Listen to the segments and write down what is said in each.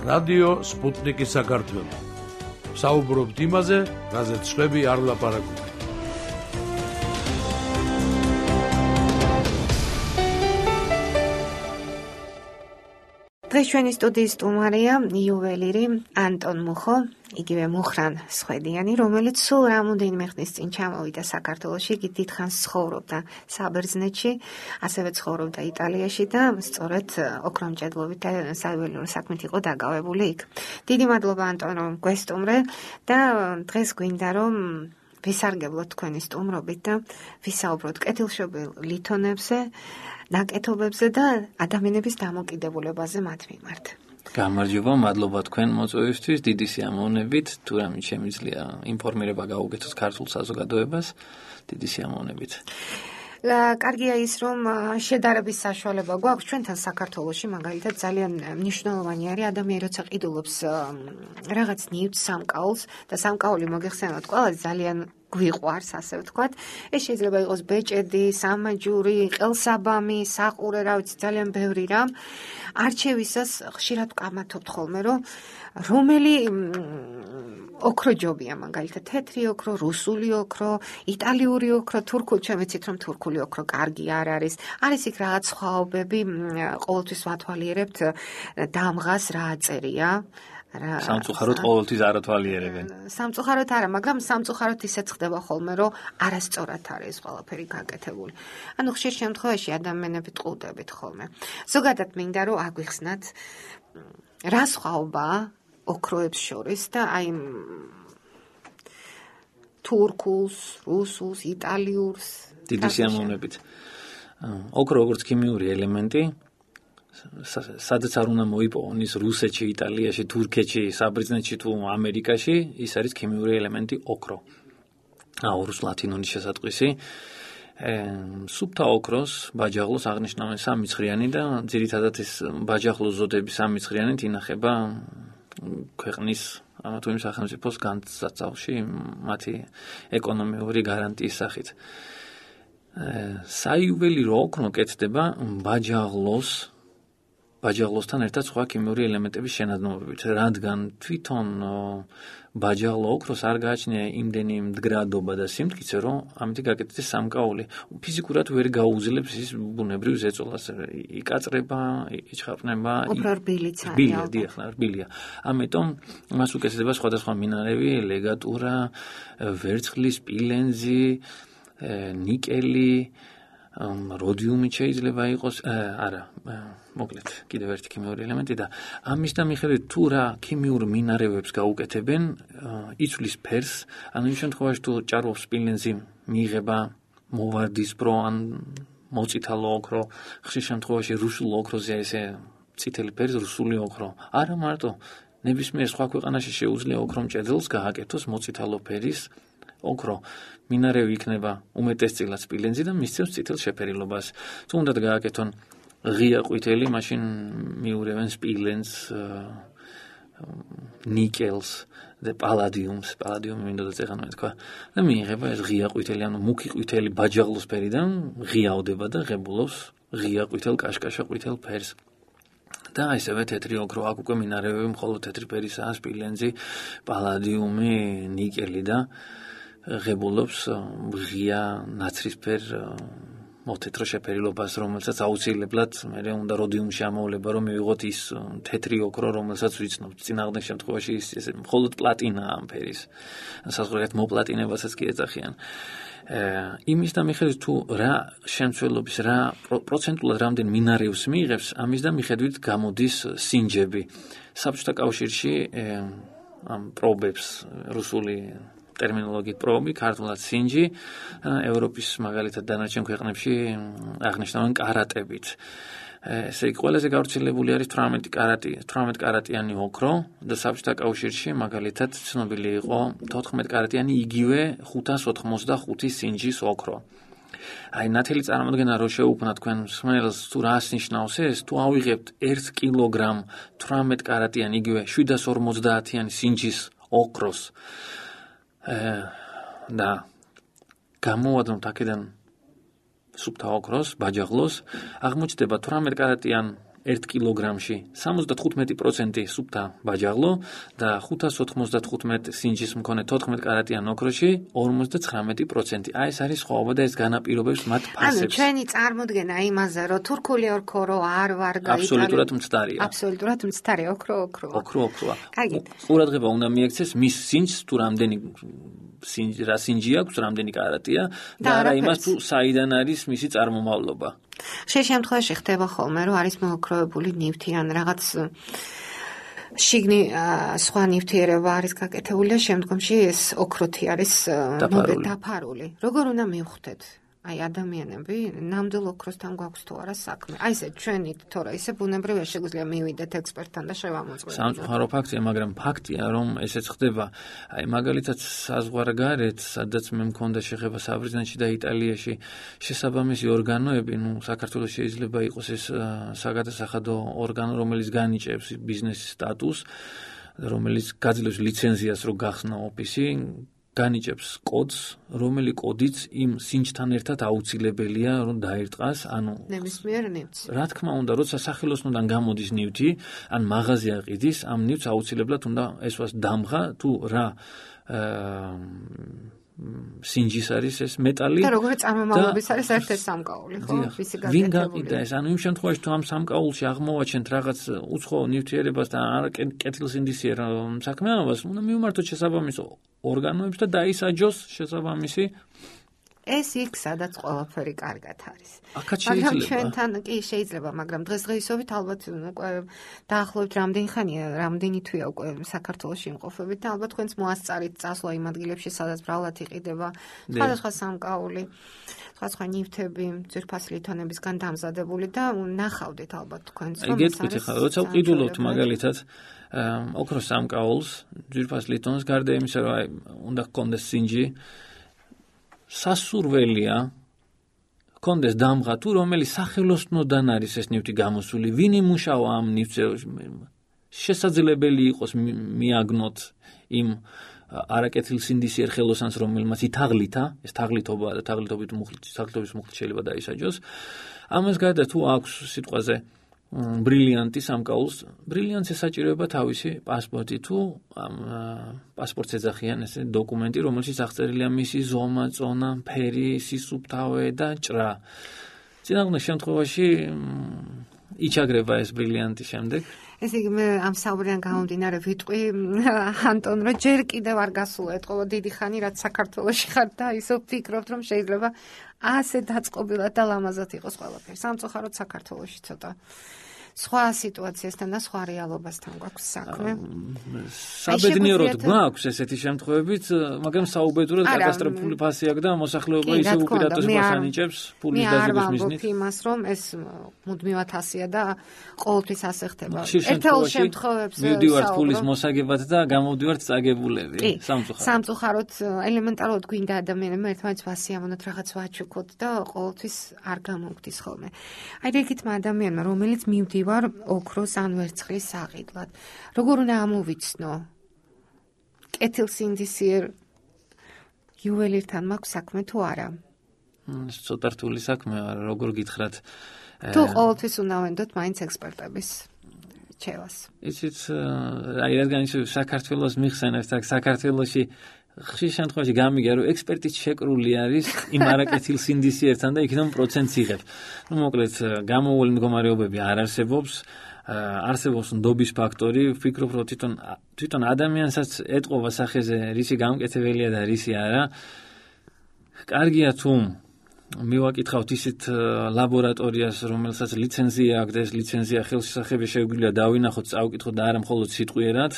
რადიო სპუტნიკის საქართველო. საუბრობთ იმაზე, რაზეც სხვები არ ლაპარაკობენ. დღეს ჩვენი სტუდიის სტუმარია იუველირი ანტონ მუხო, იგივე მუხრან სვედიანი, რომელიც სულ რამოდენიმე ხნის წინ ჩამოვიდა საქართველოში, იგი დიდხანს ცხოვრობდა საბერძნეთში, ასევე ცხოვრობდა იტალიაში და სწორედ ოქრომჭედლობით და საველიურ საქმით იყო დაკავებული იქ. დიდი მადლობა ანტონ, რომ გვესტუმრე და დღეს გვინდა რომ ვისარგებლოთ თქვენი სტუმრობით და ვისაუბროთ კეთილშობილ ლითონებზე, ნაკეთობებზე და ადამიანების დამოკიდებულებაზე მათ მიმართ. გამარჯობა, მადლობა თქვენ მოწვევისთვის, დიდი სიამოვნებით, თუ რამე შემიძლია ინფორმირება გავუკეთოთ ქართულ საზოგადოებას, დიდი სიამოვნებით. კარგია ის, რომ შედარების საშუალება გვაქვს ჩვენთან საქართველოში, მაგალითად ძალიან მნიშვნელოვანი არის ადამიანი, როცა ყიდულობს რაღაც ნივთს, სამკაულს და სამკაული მოგეხსენოთ ყველას ძალიან გვიყვარს, ასე ვთქვათ. ეს შეიძლება იყოს ბეჭედი, სამაჯური, ყელსაბამი, საყურე, რა ვიცი, ძალიან ბევრი რამ. არჩევისას ხშირად ვკამათობთ ხოლმე, რომ რომელი ოქრო ჯობია, მაგალითად თეთრი ოქრო, რუსული ოქრო, იტალიური ოქრო, თურქული, ჩვენ ვიცით რომ თურქული ოქრო კარგი არ არის. არის იქ რაღაც სხვაობები, ყოველთვის ვათვალიერებთ დამღას რა აწერია. სამწუხაროდ ყოველთვის არ ათვალიერებენ. სამწუხაროდ არა, მაგრამ სამწუხაროდ ისეც ხდება ხოლმე, რომ არასწორად არის ყველაფერი გაკეთებული. ანუ ხშირ შემთხვევაში ადამიანები ტყუდებით ხოლმე. ზოგადად მინდა რომ აგვიხსნათ რა სხვაობაა ოქროებს შორის და აი თურქულს, რუსულს, იტალიურს. დიდი სიამოვნებით. ოქრო როგორც ქიმიური ელემენტი, სადაც არ უნდა მოიპოვოს რუსეთში, იტალიაში, თურქეთში, საბერძნეთში თუ ამერიკაში, ის არის ქიმიური ელემენტი ოქრო. აურის ლათინური შესატყვისი. სუფთა ოქროს, ბაჯაღლოს აღნიშნავენ სამიცხრიანი და ძირითადად ეს ბაჯაღლოს ზოდების სამიცხრიანით ინახება ქვეყნის თუ იმ სახელმწიფოს განსაცავში მათი ეკონომიური გარანტიის სახით. საიუველირო ოქრო კეთდება ბაჯაღლოსთან ერთად სხვა ქიმიური ელემენტების შენადნობებით, რადგან თვითონ ბაჯაღლო ოქროს არ გააჩნია იმდენი მდგრადობა და სიმტკიცე, რომ ამით გაკეთდეს სამკაული. ფიზიკურად ვერ გაუძლებს ის ბუნებრივ ზეწოლას, იკაწრება, იჩხაპნება. უფრო რბილიც არის. რბილია. ამიტომ მას უკეთდება სხვადასხვა მინარევი, ლეგატურა, ვერცხლი, სპილენძი, ნიკელი, როდიუმი შეიძლება იყოს, არა, მოკლედ, კიდევ ერთი ქიმიური ელემენტი და ამის და მიხედვით თუ რა ქიმიურ მინარევებს გაუკეთებენ, იცვლის ფერს, ანუ იმ შემთხვევაში თუ ჭარბობს სპილენძი, მიიღება მოვარდისფრო ან მოწითალო ოქრო, ხშირ შემთხვევაში რუსულ ოქროზე ესე წითელი ფერის რუსული ოქრო. არა მარტო, ნებისმიერ სხვა ქვეყანაში შეუძლია ოქრომჭედელს გააკეთოს მოწითალო ფერის ოქრო. მინარევი იქნება უმეტესწილად სპილენძი და მისცემს წითელ შეფერილობას. თუ უნდათ გააკეთონ ღია ყვითელი, მაშინ მიურევენ სპილენძს, ნიკელს და პალადიუმს. პალადიუმი მინდოდა წეღანვე თქვა. და მიიღება ეს ღია ყვითელი, ანუ მუქი ყვითელი ბაჯაღლოსფერიდან ღიაოდება და ღებულობს ღია ყვითელ კაშკაშა ყვითელ ფერს. და ისევე თეთრი ოქრო, აქ უკვე მინარევები მხოლოდ თეთრი ფერისაა, სპილენძი, პალადიუმი, ნიკელი და ღებულობს ღია ნაცრისფერ მოთეთრო შეფერილობას, რომელსაც აუცილებლად მე უნდა როდიუმში ამოვლება, რომ მივიღოთ ის თეთრი ოქრო, რომელსაც ვიცნობთ. წინააღმდეგ შემთხვევაში ეს მხოლოდ პლატინაა ამ ფერის. საზღვრად მოპლატინებასაც კი ეძახიან. იმის და მიხედვით თუ რა შემცველობის, რა პროცენტულად რამდენ მინარევს მიიღებს, ამის და მიხედვით გამოდის სინჯები. საბჭოთა კავშირში ამ პრობებს რუსული ტერმინოლოგიით პრობი, ქართულად სინჯი, ევროპის მაგალითად დანარჩენ ქვეყნებში აღნიშნავენ კარატებით. ესე იგი, ყველაზე გავრცელებული არის 18 კარატიანი ოქრო და საბჭოთა კავშირში მაგალითად ცნობილი იყო 14 კარატიანი იგივე 585 სინჯის ოქრო. აი ნათელი წარმოდგენა რო შეუქმნა თქვენ მსმენელს თუ რას ნიშნავს ეს, თუ ავიღებთ 1 კილოგრამ 18 კარატიანი იგივე 750-იანი სინჯის ოქროს და გამოვადნოთ აქედან სუფთა ოქროს, ბაჯაღლოს, აღმოჩნდება 18 კარატიან 1 კილოგრამში 75% სუფთა ბაჯაღლო და 595 სინჯის მქონე 14 კარატიან ოქროში 59%. აი ეს არის სხვაობა და ეს განაპირობებს მათ ფასებს. ანუ ჩვენი წარმოდგენა იმაზე, რომ თურქული ოქრო არ ვარ გაიტანე. აბსოლუტურად მცდარია. აბსოლუტურად მცდარი ოქროა. კარგი. ყურადღება უნდა მიექცეს მის სინჯს თუ რამდენი რა სინჯი აქვს, რამდენი კარატია და არა იმას თუ საიდან არის მისი წარმომავლობა. შემთხვევაში ხდება ხოლმე, რომ არის მოოქროვებული ნივთი ან რაღაც შიგნი სხვა ნივთიერება არის გაკეთებული და შემდგომში ეს ოქროთი არის დაფარული. როგორ უნდა მივხვდეთ? აი ადამიანები ნამდვილ ოქროსთან გვაქვს თუ არა საქმე. აი ესე ჩვენი თორე ისე ბუნებრივია შეგვიძლია მივიდეთ ექსპერტთან და შევამოწმოთ. სამწუხარო ფაქტია, მაგრამ ფაქტია, რომ ესეც ხდება. აი მაგალითად საზღვარგარეთ, სადაც მე მქონდა შეხება საბერძნეთში და იტალიაში, შესაბამისი ორგანოები, საქართველოს შეიძლება იყოს ეს საგადასახადო ორგანო, რომელიც განიჭებს ბიზნესის სტატუსს, რომელიც გაძლევს ლიცენზიას, რომ გახსნა ოფისი, განიჭებს კოდს, რომელი კოდიც იმ სინჯთან ერთად აუცილებელია, რომ დაერტყას, ანუ ნებისმიერ ნივთს. რა თქმა უნდა, როცა სახელოსნოდან გამოდის ნივთი, ან მაღაზია ყიდის, ამ ნივთს აუცილებლად უნდა ესვას დამღა თუ რა სინჯის არის ეს მეტალი და როგორი წარმომავლობის არის ერთ-ერთი სამკაული, ხო? ვისი გაკეთებული. ვინ გაყიდა ეს? ანუ იმ შემთხვევაში თუ ამ სამკაულში აღმოვაჩენთ რაღაც უცხო ნივთიერებას და არ კეთილსინდისიერ საქმიანობას, უნდა მივმართოთ შესაბამის ორგანოებს და დაისაჯოს შესაბამისი ეს იქ სადაც ყველაფერი კარგად არის. მაგრამ ჩვენთან კი შეიძლება, მაგრამ დღესდღეობით ალბათ უკვე დაახლოებით რამდენი თვეა უკვე საქართველოში იმყოფებით და ალბათ თქვენც მოასწარით წასვლა იმ ადგილებში, სადაც ბრალად იყიდება სხვადასხვა სამკაული, სხვადასხვა ნივთები, ძვირფასი ლითონებისგან დამზადებული და ნახავდით ალბათ თქვენც რომ ეს არის. როცა ვყიდულობთ მაგალითად ოქროს სამკაულს, ძვირფას ლითონს, გარდა იმისა, რომ უნდა გქონდეს სინჯი, სასურველია კონდეს დამღა თუ რომელი სახელოსნოდან არის ეს ნივთი გამოსული, ვინ იმუშავა ამ ნივთზე, შესაძლებელი იყოს მიაგნოთ იმ არაკეთილსინდისიერ ხელოსანს, რომელმაც ითაღლითა, ეს თაღლითობა და თაღლითობის მუხლით შეიძლება დაისაჯოს. ამას გარდა თუ აქვს სიტყვაზე ბრილიანტი სამკაულს, ბრილიანტს ესაჭიროება თავისი პასპორტი თუ პასპორტს ეძახიან ეს დოკუმენტი, რომელშიც აღწერილია მისი ზომა, წონა, ფერი, სისუფთავე და ჭრა. წინააღმდეგ შემთხვევაში იჩაგრება ეს ბრილიანტი შემდეგ. ესე იგი მე ამ საუბრიდან გამომდინარე ვიტყვი ანტონ, რომ ჯერ კიდევ არ გასულა ეთყობა დიდი ხანი, რაც საქართველოში ხარ და ისო ვფიქრობთ, რომ შეიძლება ასე დაწყობილად და ლამაზად იყოს ყველაფერი. სამწუხაროდ საქართველოში ცოტა სხვა სიტუაციასთან და სხვა რეალობასთან გვაქვს საქმე. საბედნიეროდ გვაქვს ესეთი შემთხვევებით, მაგრამ საუბედურად კატასტროფული ფასი აქვს და მოსახლეობა ისე უპირატესობას ანიჭებს ფულის დაზრობის მიზნით. იმას რომ ეს მუდმივად ასია და ყოველთვის ასე ხდება. ერთეულ შემთხვევებში მივდივართ ფულის მოსაგებად და გამოვდივართ წაგებულები. სამწუხაროდ ელემენტარულად გვინდა ადამიანებმა ერთმანეთს ვასიამოვნოთ, რაღაც ვაჩუქოთ და ყოველთვის არ გამოგდის ხოლმე. აი რიგითმა ადამიანმა, რომელიც მივდივართ ოქროს ან ვერცხლის საყიდლად. როგორ უნდა ამოვიცნო? კეთილსინდისიერ იუველირთან მაქვს საქმე თუ არა? ცოტა რთული საქმეა, როგორ გითხრათ. თუ ყოველთვის უნდა ვენდოთ მაინც ექსპერტების რჩევას. იცით, აი რადგან ისე საქართველოს მიხსენებთ, საქართველოში ხშირ შემთხვევაში გამიგია, რომ ექსპერტიც შეკრული არის იმ არაკეთილსინდისიერთან და იქიდან პროცენტს იღებ. მოკლედ, გამოუვალი მდგომარეობები არ არსებობს, არსებობს ნდობის ფაქტორი, ვფიქრობ, რომ თვითონ ადამიანსაც ეტყობა სახეზე, რისი გამკეთებელია და რისი არა. კარგია თუ მივაკითხავთ ისეთ ლაბორატორიას, რომელსაც ლიცენზია აქვს და ეს ლიცენზია ხელშესახები შეგვიძლია დავინახოთ, წავკითხოთ და არა მხოლოდ სიტყვიერად.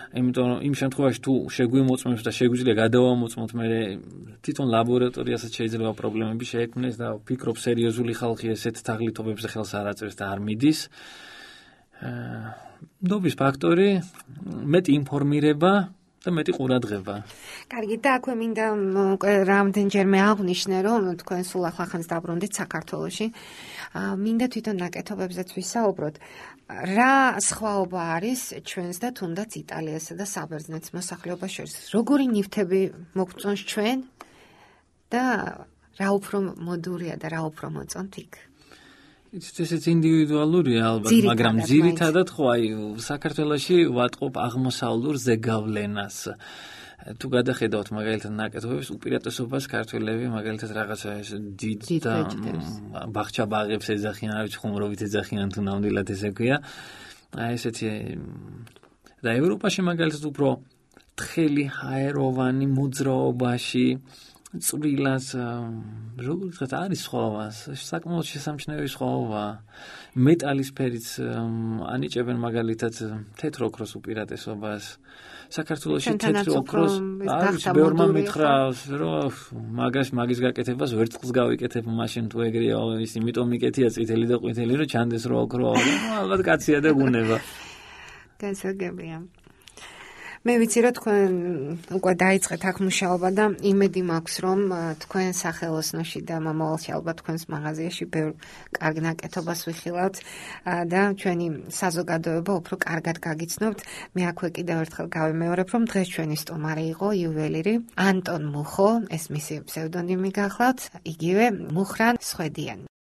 იმიტომ რომ იმ შემთხვევაში თუ შეგვიმოწმებს და შეგვიძლია გადავამოწმოთ, მე თვითონ ლაბორატორიასაც შეიძლება პრობლემები შეექმნეს და ვფიქრობ სერიოზული ხალხი ესეთ თაღლითობებზე ხელს არ აწევს და არ მიდის. ნდობის ფაქტორი, მეტი ინფორმირება და მეტი ყურადღება. კარგი, და აქვე მინდა რამდენჯერმე აღვნიშნე, რომ თქვენ სულ ახლახანს დაბრუნდით საქართველოში. მინდა თვითონ ნაკეთობებზეც ვისაუბროთ. რა სხვაობა არის ჩვენს და თუნდაც იტალიასა და საბერძნეთის მოსახლეობას შორის? როგორი ნივთები მოგწონს ჩვენ და რა უფრო მოდურია და რა უფრო მოწონთ იქ? ესეც ინდივიდუალურია ალბათ, მაგრამ ძირითადად ხო აი საქართველოში ვატყობ აღმოსავლურ ზეგავლენას. თუ გადახედავთ მაგალითად ნაკეთობებს, უპირატესობას ქართველები მაგალითად რაღაცა ეს დიდ და ბაღჩა-ბაღებს ეძახიან, არ ვიცი ხუმრობით ეძახიან თუ ნამდვილად ესე ქვია. აი ესეთი და ევროპაში მაგალითად უფრო თხელი ჰაეროვანი მოძრაობაში წვრილას როგორც ვთქვათ არის სხვაობა, საკმაოდ შესამჩნევი სხვაობა. მეტალის ფერიც ანიჭებენ მაგალითად თეთრ ოქროს უპირატესობას. საქართველოში თეთრ ოქროს არის ბევრმა მითხრა, რომ მაგის გაკეთებას ვერცხლს გავიკეთებ მაშინ თუ ეგრეა ის იმიტომ მიკეთია წითელი და ყვითელი რომ ჩანდეს რომ ოქროა. ალბათ კაცია და გუნება. გასაგებია. მე ვიცი რომ თქვენ უკვე დაიწყეთ აქ მუშაობა და იმედი მაქვს რომ თქვენ სახელოსნოში და მომავალში ალბათ თქვენს მაღაზიაში ბევრ კარგ ნაკეთობას ვიხილავთ და ჩვენი საზოგადოება უფრო კარგად გაგიცნობთ. მე აქვე კიდევ ერთხელ გავიმეორებ რომ დღეს ჩვენი სტუმარი იყო იუველირი ანტონ მუხო, ეს მისი ფსევდონიმი გახლავთ, იგივე მუხრან სვედიანი.